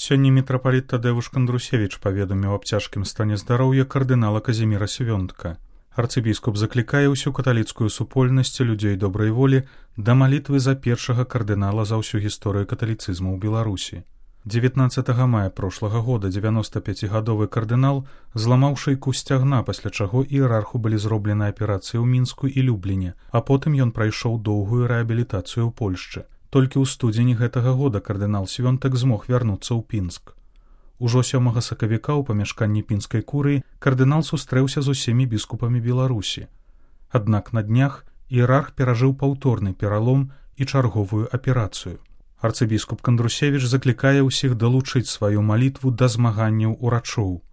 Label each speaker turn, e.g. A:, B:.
A: Сёння мітрапаліт Тадэвуш Кандрусевіч паведаміў аб цяжкім стане здароўя кардынала Казіміра Свёнтка. Арцыбіскуп заклікае ўсю каталіцкую супольнасць людзей добрай волі да малітвы за першага кардынала за ўсю гісторыю каталіцызму ў Беларусі. 19 мая прошлага года 95-гадовы кардынал зламаў шыйку сцягна, пасля чаго іерарху былі зроблены аперацыі ў Мінску і Любліне, а потым ён прайшоў доўгую рэабілітацыю ў Польшчы. Толькі ў студзені гэтага года кардынал Свёнтак змог вярнуцца ў Пінск. Ужо 7 сакавіка ў памяшканні пінскай курыі кардынал сустрэўся з усімі біскупамі Беларусі. Аднак на днях іерарх перажыў паўторны пералом і чарговую аперацыю. Арцыбіскуп Кандрусевіч заклікае ўсіх далучыць сваю малітву да змаганняў урачоў.